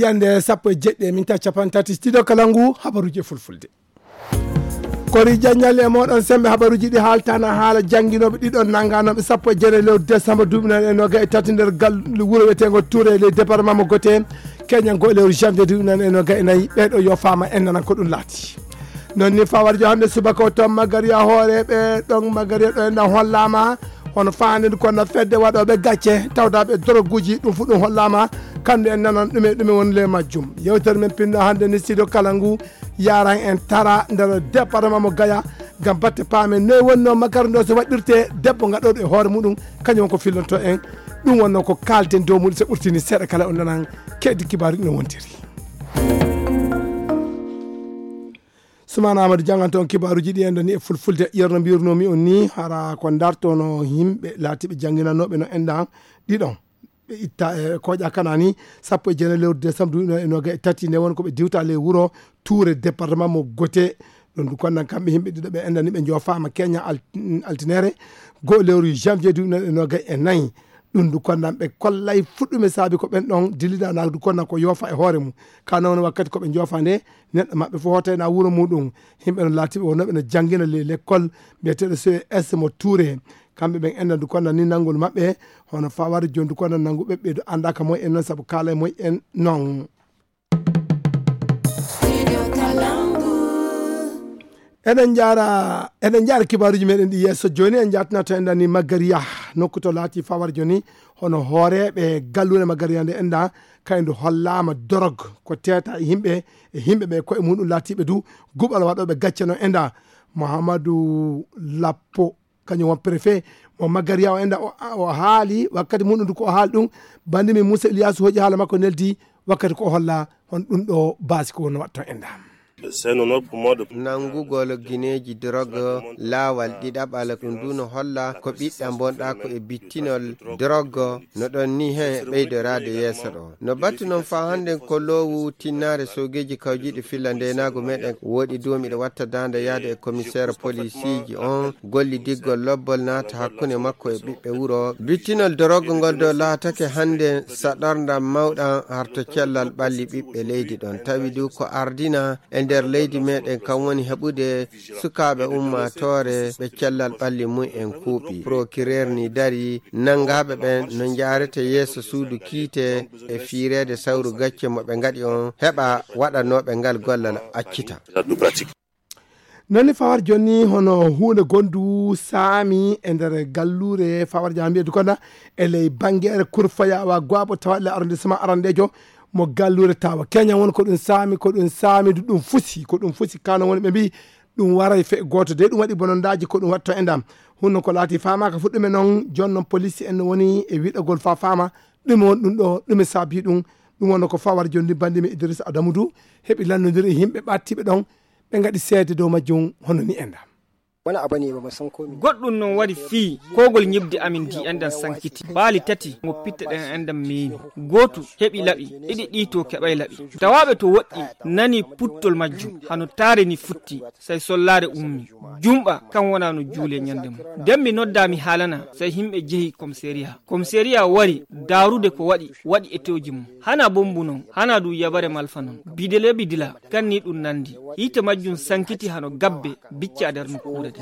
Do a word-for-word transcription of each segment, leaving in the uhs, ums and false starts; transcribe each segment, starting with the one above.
Yande sappo e jeɗɗi e minta capan tati, studio kala ngu habaruji e fulfulde. Kori jaññalle e moɗon sembe habaruji ɗi haaltana haala jannginooɓe ɗiɗon nannganooɓe sappo e jeene lewru décembre duuɓi nan e noga e tati nder gal wuro wiyeteengo Touré e ley département mo Gote, keñango e lewru janvier duuɓi nan e noga e nayi. Ɓeeɗo yo faama en nanan ko ɗum laati. Non ni fawarjo hannde subaka o toon Magariya hooreeɓe ɗon Magariya ɗo en ɗan hollaama hono faande ndu konna fedde waɗooɓe gacce tawdaaɓe doroguuji, ɗum fu ɗum hollaama. Kamɓe en nanan ɗume ɗume woni le majjum. Yewtere men pinno hannde ni studio kala ngu yaran en tara nder département mo Gaya ngam batte paamen noy wonno makaranta o so waɗirte. Debbo ngaɗoɗo e hoore muɗum kañum ko fillanto en. Ɗum wonno ko kaalten dow muɗum so ɓurtini seeɗa kala on nanan kedi kibaaru ɗum wontiri. Sumana Amadou janganta on kibaaruji ɗi enɗon ni e fulfulde. Yerno mbirnomi on ni hara ko dartono yimɓe laatiɓe jannginanooɓe no enɗan ɗiɗon ɓe itta e koƴa kanani sappo e jeena lewru décembre duuɓi noon e noga e tati nde won ko ɓe diwta ley wuro Touré département mo Gote. Ɗum du konnan kamɓe yimɓe ɗiɗo ɓe enɗan ni ɓe joofama keña al- altinere goo lewru janvier duuɓi noon e noga e nayi. Ɗum du konnan ɓe kollay fuɗɗume saabi ko ɓen ɗon dilliɗa na du konnan ko yoofa e hoore mum. Ka noon wakkati ko ɓe joofa nde neɗɗo maɓɓe fof hootayna wuro muɗum. Yimɓe no laatiɓe wonnoɓe no janngina le lekkol mbiyeteɗo C E S mo Touré. Kamɓe ɓen enɗan du konnan ni nanngol maɓɓe hono fawade joni du konnan nanngu ɓeɓɓe du anndaka moy en noon sabu kaalay moy en noon. Eɗen jaara eɗen jaara kibaaruji meɗen ɗi yeeso joni en jatnato en dani Magariya nokku to laati fawar joni hono hooreɓe gallure Magariya nde enɗa kaydu hollama dorog ko teta e yimɓe e yimɓe ɓe koye muɗum laatiɓe du guɓal waɗoɓe gacce no enɗa. Mouhamadou Lappo kañum won préfet mo Magariya o enɗa o haali wakkati muɗum du ko o haali ɗum. Bandi min Moussa Iliyasu hoƴi haala makko neldi wakkati ko o holla hon ɗum ɗo baasi ko wonno waɗto enɗa. Nanngugol gineeji dorog laawal ɗiɗaɓal ɗum du no holla ko ɓiɗɗa bonɗa ko e bittinol dorog no ɗon ni heen e ɓeydoraade yeeso ɗo. No batu noon faa hannden ko loowu tinnaare soogeeji kawjiiɗi filla ndeenaagu meɗen woɗi du miɗo watta daande yaade e komiseer polisiiji on gollidiggol lobbol naata hakkunde makko e ɓiɓɓe wuro. Bittinol dorog ngol do laatake hannden saɗorndam mawɗam harto cellal ɓalli ɓiɓɓe leydi ɗon. Tawi du ko ardina e nder leydi meɗen kam woni heɓude sukaaɓe ummaatoore ɓe cellal ɓalli mum en kuuɓi. Procureur ni dari nanngaaɓe ɓen no njaarete yeeso suudu kiite e fiireede sawru gacce mo ɓe ngaɗi on heɓa waɗanooɓe ngal gollal accita. Nani fawar joni hono huunde gondu saami e nder galluure fawar jama mbiyedu kona e ley bangere kurfayawa gwabo tawaɗle arrondissement arandejo mo galluure tawa keña won ko ɗum saami ko ɗum saami du ɗum fusi ko ɗum fusi kano woni ɓe mbi ɗum waray fe gooto de ɗum waɗi bonondaji ko ɗum watto e ndam. Hunno ko laati famaka fuɗɗume noon jooni noon police en no woni e wiɗagol fa fama ɗume won ɗum ɗo ɗume saabi ɗum. Ɗum wonno ko fawar joni bandi mi Idrissa Adamu du heɓi lannodiri e yimɓe ɓattiɓe ɗon ɓe ngaɗi seede dow majjum hono ni e ndam. Goɗɗum noon waɗi fii koogol ñibde amin ndi enɗan sankiti baali tati ngo pitteɗen enɗan meemi. Gootu heɓi laɓi ɗiɗi ɗi to keɓay laɓi. Tawaaɓe to woɗɗi nani puttol majjum hano taare ni futti. Sey sollaare ummi jumɓa kan wona no juule ñande mum. Den mi noddaa mi haalana sey himɓe jehi komiseriya. Komiseriya wari daarude ko waɗi waɗi etooji mum. Hana bombu non hana du yabare malfa non bidele bidila. Kan ni ɗum nandi hiite majjum sankiti hano gabbe bicca der nokkuure de.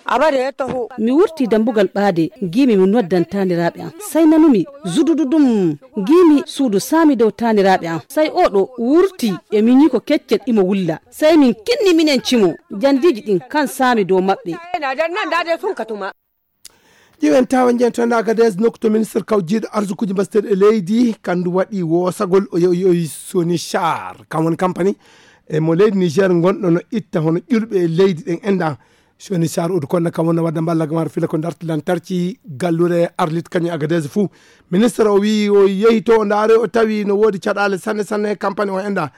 Abade taho. Mi wurti dambugal ɓaade ngiimi mi noddan taaniraaɓe am. Sey nanumi zudududum ngiimi suudu saami dow taaniraaɓe am. Sey oo ɗo wurti e miñiiko keccel imo wulla. Sey min kinni minen cimo jandiiji ɗin kan saami dow maɓɓe. Ƴiwen tawa njen to nda Agadez nokku to ministre kawjiiɗo arsukuji mbasteɗi e leydi kandu waɗi woosagol o yewi soni char kam woni kampani e mo leydi Niger gonɗo no itta hono ƴulɓe e leydi ɗen enɗa. Soni char udu konno kam wonno wadda mballa gamar fila ko darti lantarki gallure arlit kañum Agadez fuu. Ministre o wi o yehi to o ndaare o tawi no woodi caɗaale sanne sanne kampani o enɗa.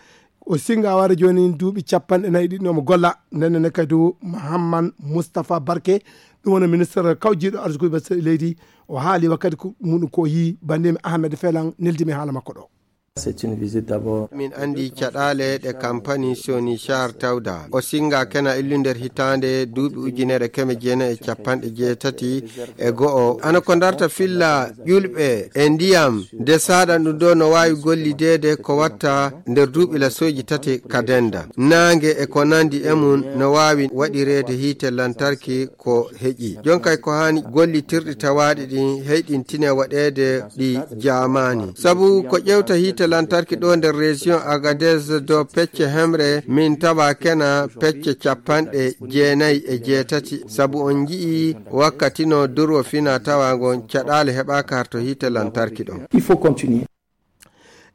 O singa wara joni duuɓi capanɗe nayi ɗiɗi omo golla. Ndennene kadi mahamman moustapha barke ɗum woni ministre kawjiɗo arsukuɓe leydi. O haali wakkati muɗum ko yi bandimi ahmed felan neldimi haala makko ɗo. Min anndi caɗaale ɗe kampani Sony Char tawda. O singa kena illu nder hitaande duuɓi ujunere keme jeenayi e capanɗe jeetati e go'o. Ana ko darta filla ƴulɓe e ndiyam nde saɗa ɗum ɗo no waawi gollideede ko watta nder duuɓi lasooji tati ka denda. Naange e ko nandi e mum no waawi waɗireede hiite lantarki ko heƴi. Jonkay ko haani gollitirɗi tawaaɗi ɗin heyɗintine waɗeede ɗi jaamaani. Sabu ko ƴewta hiite lantarki ɗo nder région Agadez do pecce hemre min tawa kena pecce capanɗe jeenayi e jeetati. Sabu on nji'i wakkati no durwo fina tawa ngon caɗaale heɓaaka harto hiite lantarki ɗon. Il faut continuer.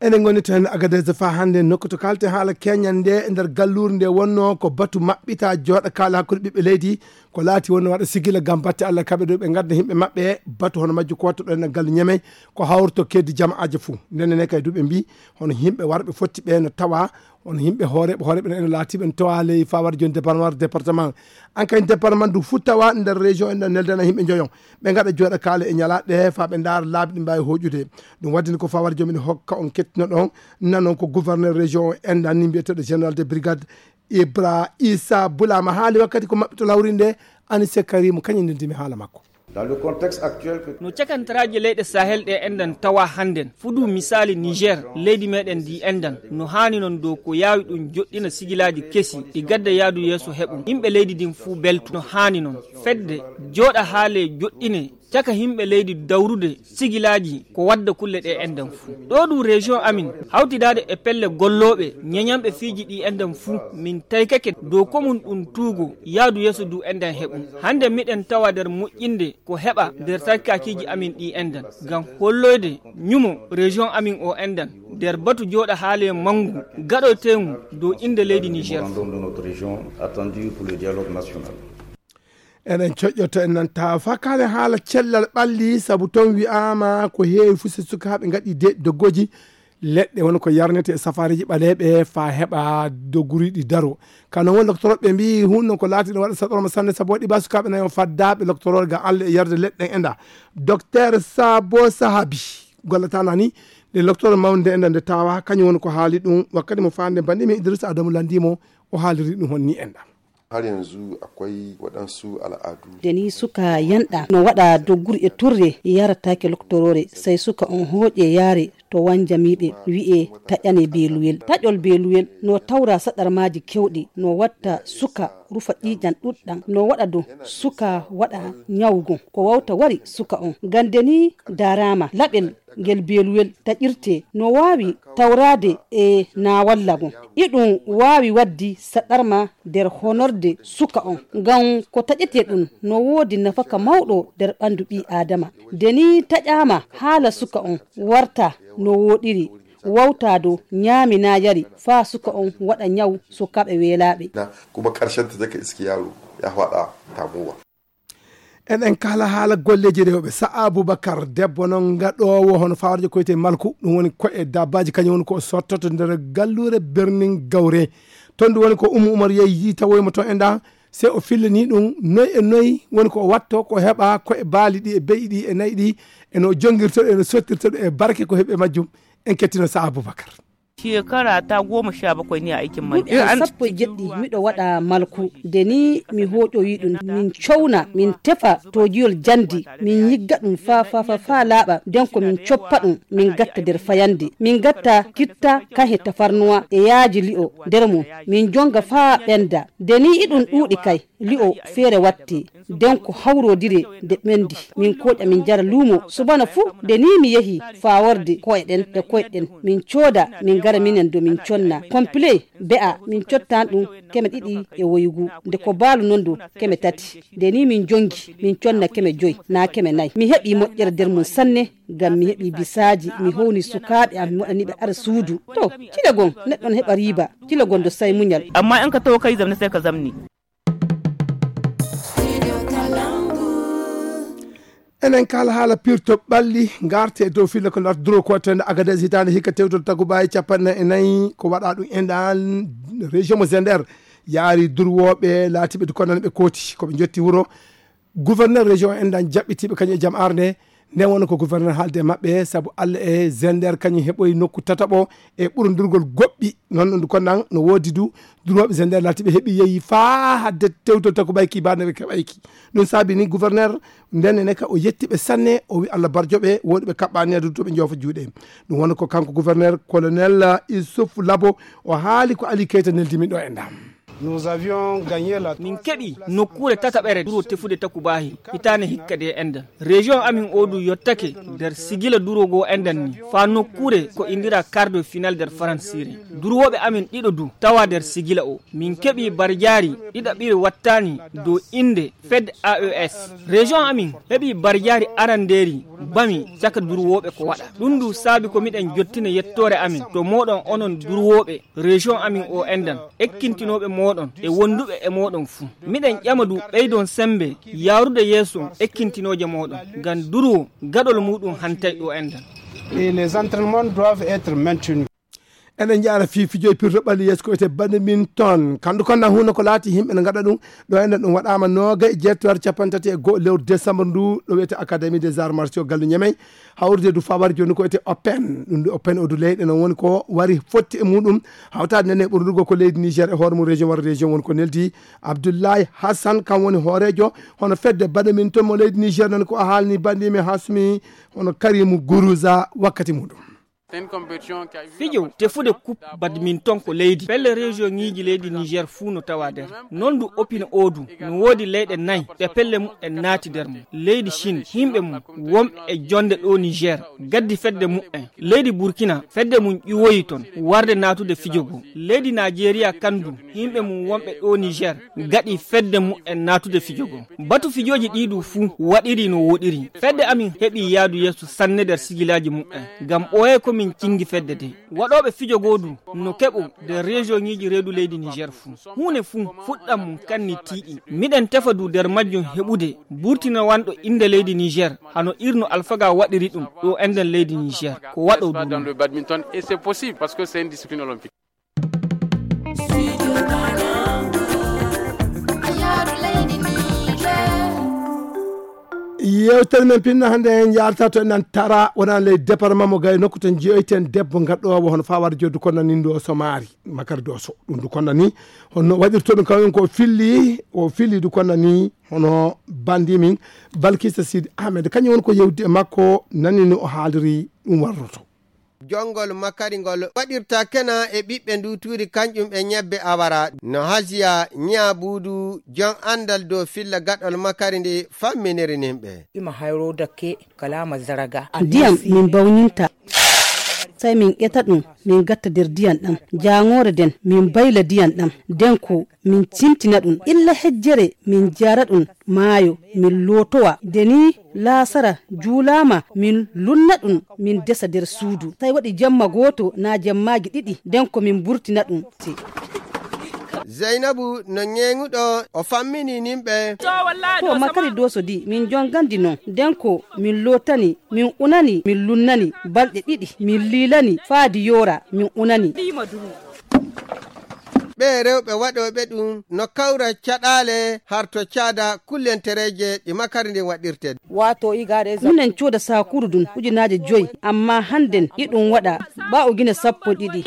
Eɗen ngoni tan Agadez fa hannde nokku to kalte haala keñal nde e nder galluure nde wonno ko batu maɓɓita jooɗa kaala hakkunde ɓiɓɓe leydi ko laati wonno waɗa sigila ngam batte Allah kaɓe ɗo ɓe ngadda yimɓe maɓɓe batu hono majju ko wattuɗo en gallu ñamey ko hawrto keddi jama'aaje fuu. Ndenne ne kay duɓe mbi hono yimɓe warɓe fotti ɓe no tawa hono yimɓe hooreɓe hooreɓe ene laatiɓe no tawa ley fawar joni département département an kay département du fuu tawa nder région en neldana yimɓe joyon ɓe ngaɗa jooɗa kaala e ñalaaɗe ɗe fa ɓe ndaara laabi ɗi mbaawi hoƴude. Ɗum waɗi ni ko fawar joom ene hokka on kettino ɗon nanon ko gouverneur région o enɗan ni mbiyeteeɗo général de brigade Ibra Issa Boulama haali wakkati ko maɓɓito lawri nde. Anise Karimu kañum ndendimi haala makko. Dans le contexte actuel que no cakantaraaji leyɗe Sahel ɗe enɗan tawa hannden fudu misaali Niger leydi meɗen ndi enɗan no haani non dow ko yaawi ɗum joɗɗina sigilaaji kesi ɗi gadda yaadu yeeso heɓum yimɓe leydi ndin fuu beltu no haani non fedde jooɗa haale joɗɗine caka yimɓe leydi dawrude sigilaaji ko wadda kulle ɗe enɗan fuu. Ɗo ɗum région amin hawtidaade e pelle gollooɓe ñeñanɓe fiiji ɗi enɗan fuu min taykake dow ko mum ɗum tuugo yaadu yeeso du enɗan heɓum. Hannde miɗen tawa nder moƴƴinde ko heɓa nder sarkakiiji amin ɗi enɗan ngam holloyde ñumo région amin o enɗan nder batu jooɗa haale manngu gaɗoyteengu dow innde leydi Niger. Memorandum de notre région attendu pour le dialogue national. Eɗen coƴƴoto en nan tawa fakkaade haala cellal ɓalli sabu toon wi'aama ko heewi fuu so sukaaɓe ngaɗi de doggoji leɗɗe woni ko yarnete e safaariiji ɓaleeɓe faa heɓa dogoriiɗi daro. Kano woni loktorooɓe mbii hunno ko laatiɗo waɗa saɗorma sanne sabu waɗi ba sukaaɓe nayo faddaaɓe loktorooɓe ga alle e yarde leɗɗe en enɗa. Dokteer Sabo Sahabi gollataana ni nde loktoor mawnde enɗa nde tawa kañum woni ko haali ɗum wakkati mo faande mbanɗimi Idrissa Adamu lanndimo o haaliri ɗum honni enɗa. Har yanzu akwai waɗansu al'adu. Deni suka yanɗa no waɗa dogguri e turre yaratake loktorore sai suka on hoƴe yare to wanjamiɓe wi'e taƴane beluwel taƴol beluwel no tawra saɗarmaji kewɗi no watta suka rufa ƴiƴan ɗuɗɗan no waɗa do suka waɗa ñawgo ko wawta wari suka on gam deni darama laɓel ngel beluwel taƴirte no waawi tawraade e naawalla ngon. Iɗum waawi waddi saɗarma nder honorde suka on, ngam ko taƴetee ɗum no woodi nafaka mawɗo nder ɓanndu ɓii-aadama. Nde nii taƴaama haala suka on warta no wooɗiri, wawtaa dow ñaami naa yari faa suka on waɗa ñaw sukaaɓe weelaaɓe. Kuma ƙarshen ta zaka iski yaro ya faɗa tamowa. Eɗen kaala haala golleeji rewɓe. Sa'a Abubakar, debbo noon gaɗoowo hono fawarjo koyte malku, ɗum woni koye dabbaaji, kañum woni ko o sottoto nder galluure Birnin Gawre. Toon ɗum woni ko Ummu Umar yehi yii tawoymo toon e nda, se o fillanii ɗum noy e noy woni ko o watto, ko heɓa koye baali ɗi e be'i ɗi e nayi ɗi, e no jongirto ɗum, e no sottirto ɗum, e barke ko heɓi e majjum. En kettino Sa'a Abubakar. Shekara ta goma sha bakwai ne a aikin man. Duuɓi am sappo e jeɗɗi miɗo waɗa malku. Nde ni mi hooƴoyi ɗum, min cowna, min tefa toojiyol jandi, min yigga ɗum faa, faa, faa, faa laaɓa. Nden ko min coppa ɗum, min gatta nder fayande. Min gatta kitta, kahe tafarnuwa e yaaji li'o nder mum. Min jonga faa ɓenda. Nde ni iɗum ɗuuɗi kay. Li'o feere watte, nden ko hawrodire nde ɓendi, min kooƴa min jara luumo. Subana fuu, nde nii mi yehi faworde ko'e ɗen e koyɗe ɗen, min cooda, min ngara minen do min conna. Complet be'a, min cottan ɗum keme ɗiɗi e woygu, nde ko baalu non do keme tati. Nde nii min jongi, min conna keme joy, naa keme nay. Mi heɓi moƴƴere nder mum sanne, ngam mi heɓi bisaaji, mi howni sukaaɓe am, mi waɗani ɓe ara suudu. To, cile gon, neɗɗo no heɓa riiba, cile gon do sai muñal. Amma in ka taho kai zamne sai ka zamne. Enen kala haala pirto ɓalli, ngarte e dow filla ko ndarta duro ko wattende Agadez hitaande hikka tewtoto tagubaye capanɗe nayi e nayi ko waɗa ɗum enɗan région mo Zender yaari durwooɓe laatiɓe dukonnan ɓe kooti ko ɓe jotti wuro. Gouverneur région enɗan jaɓɓitiiɓe kañum e jam arde Nden wonno ko gouverneur haalde e maɓɓe, sabu Alla e Zender kañum heɓoyi nokku tataɓo e ɓurondurgol goɗɗi. Noon ɗum kon nan no woodi du, durooɓe Zender laati ɓe heɓi yehi faa hadde tewtol takubayki, baa nde ɓe keɓayki. Ɗum saabi ni gouverneur nden ene ka o yetti ɓe sanne, o wi Alla barjo ɓe, woɗi ɓe kaɓɓaani addu to ɓe joofa juuɗe. Ɗum wonno ko kanko gouverneur colonel Issouf Labo, o haali ko Ali Keita neldi min ɗo e ndam. Nous avions gagné la Min keɓi nokkuure tataɓere duro tefude takubahi hitaande hikka de enɗan. Région amin o du yottake nder sigila duro goo enɗan ni. Faa nokkuure ko indira quart de finale nder Faransire. Durooɓe amin ɗiɗo du tawa nder sigila o. Min keɓi barjaari ɗiɗaɓiri wattaani dow innde Fed A E S. Région amin heɓi barjaari arandeeri bami caka durwooɓe ko waɗa. Ɗum du saabi ko miɗen jottina yettoore amin to mooɗon onon durwooɓe région amin o enɗan, ekkintinooɓe mooɗon e wonduɓe e mooɗon fuu. Miɗen ƴama du ɓeydon sembe yaarude yeeso ekkintinooje mooɗon. Ngam durwo gaɗol muuɗum hantay ɗo enɗan. Et les entraînements doivent être maintenus. Eɗen njaara fii fijo e pirto ɓalli yeeso ko wiyetee badminton. Kandu kon na huuna ko laati yimɓe ne ngaɗa ɗum. Ɗo enɗan ɗum waɗaama nooga e jeetto har capanɗe tati e go'o lewru décembre ndu ɗo wiyetee Académie des Arts Martiaux Gallu Ñemey. Hawrude du fawar jooni ko wiyetee Open. Ɗum du Open o du leyɗe no woni ko wari fotti e muɗum. Hawtaade nene ɓurdugo ko leydi Niger e hoore mum région wara région woni ko neldi. Abdoulaye Hassan kam woni hooreejo hono fedde badminton mo leydi Niger noon ko a haalni banndi men Hasumi hono Karimu Guruza wakkati muɗum. Fijo tefude coupe badminton ko leydi. Pelle région ŋiiji leydi Niger fuu no tawa nder. Noon du opine o du no woodi leyɗe nay ɗe pelle mu'en naati nder mum. Leydi Chine, yimɓe mum wonɓe e jonde ɗo Niger gaddi fedde mu'en. Leydi Burkina, fedde mum ƴiwoyi ton warde naatude fijo go. Leydi Najeriya kan du, yimɓe mum wonɓe ɗo Niger gaɗi fedde mu'en naatude fijo go. Batu fijooji ɗi du fuu waɗiri no woɗiri. Fedde amin heɓi yaadu yeeso sanne nder sigilaaji mu'en. Ngam ɓooyay ko min cingi fedde de. Waɗooɓe fijo goo du no keɓo nder région ŋiiji reedu leydi Niger fuu. Huune fuu fuɗɗan mum kanni tiiɗi. Miɗen tefa du nder majjum heɓude burtinawanɗo innde leydi Niger hano irno Alfaga waɗiri ɗum ɗo enɗan leydi Niger. Ko waɗo du non. Badminton et c'est possible parce que c'est une discipline olympique. Yewtere men pinno hannde en njaarta to enen tara wonaa ley département mo Gaye nokku to njiyoyten debbo gaɗɗoowo hono fawar joddu kono nan ndo so maari makar doso ɗum du kono ni hono waɗirto ɗum kañum ko filli o filli du kono ni hono bandi min Balkisa Sidi Ahmed kañum woni ko yewdi e makko nani no o haaliri ɗum warroto. Jongol makari ngol waɗirta kena e ɓiɓɓe ndu tuuri kañƴum e ñebbe awara no Hasiya Ñaabuudu jon anndal dow filla gaɗol makari ndi famminiri nimɓe. Ima hayro dakke kalaama zaraga. Ndiyam min bawninta. Sai min ƴeta ɗum min gatta nder ndiyam ɗam jaangoore nden min bayla ndiyam ɗam nden ko min cimtina ɗum illa hejjere min jara ɗum maayo min lootowa nde ni laasara juulaama min lunna ɗum min desa nder suudu sai waɗi jemma gooto naa jemmaaji ɗiɗi nden ko min mburtina ɗum. Zaynabu no ñeeŋuɗo o fammini nimɓe. To makari doso di min jongandi non nden ko min lootani min unani min lunnani balɗe ɗiɗi min liilani faadi yoora min unani. Ɓee rewɓe waɗooɓe ɗum no kawra caɗaale harto caada kullentereeje ɗi makari ndin waɗirte. Wato igare minen cooda saakuru ɗum ujunaaje joyi amma hannden iɗum waɗa ɓaa ujune sappo ɗiɗi.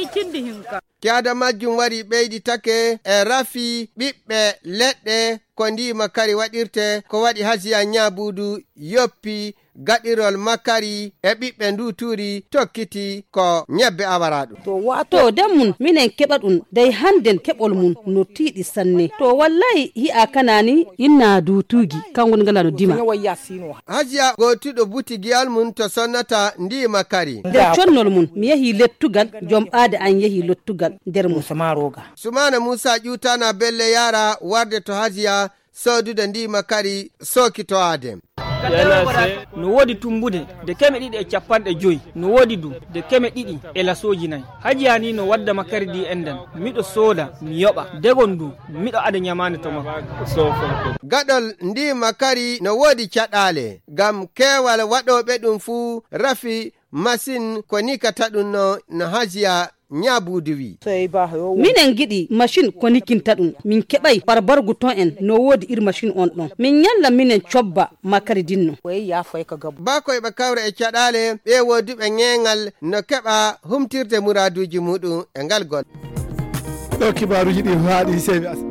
Caada majjum wari ɓeyditake e rafi ɓiɓɓe leɗɗe ko ndi makari waɗirte ko waɗi Hasiya Ñaabuudu yoppi gaɗirol makari e ɓiɓɓe ndu tuuri tokkiti ko ñebbe awaraɗum. To wato den mun minen keɓa ɗum dey hannden keɓol mun no tiiɗi sanne to wallahi hi'a kanani inna dutugi kan woni ngala no dima. Hasiya gootuɗo butigiyal mun to sonnata ndi makari. Nder connol mun mi yehi lettugal jom ɓaade an yehi lettugal nder mun. Sumaana Muusa ƴuutana belle yaara warde to Hasiya soodude ndi makari sookitowaade. No woodi tummbude de keme ɗiɗi e cappanɗe joyi no woodi du de keme ɗiɗi e lasooji nayi. Hajiya ni no wadda makari ɗi enɗan miɗo sooda mi yoɓa degon du miɗo ada ñamaande to makko. Gaɗol ndi makari no woodi caɗaale ngam keewal waɗooɓe ɗum fuu rafi masin ko nikata ɗum no no Hajiya Ñaabuudu wii. Minen ngiɗi machine ko nikinta ɗum. Min keɓay barbargu ton en no woodi ir machine on ɗon. Min ñalla minen cobba makari dinno. Baa ko eɓe kawra e caɗaale ɓe wooduɓe ñeeŋal no keɓa humtirde muraaduuji muɗum e ngal gol. Ɗo kibaaruuji ɗi haaɗi seyɓe as.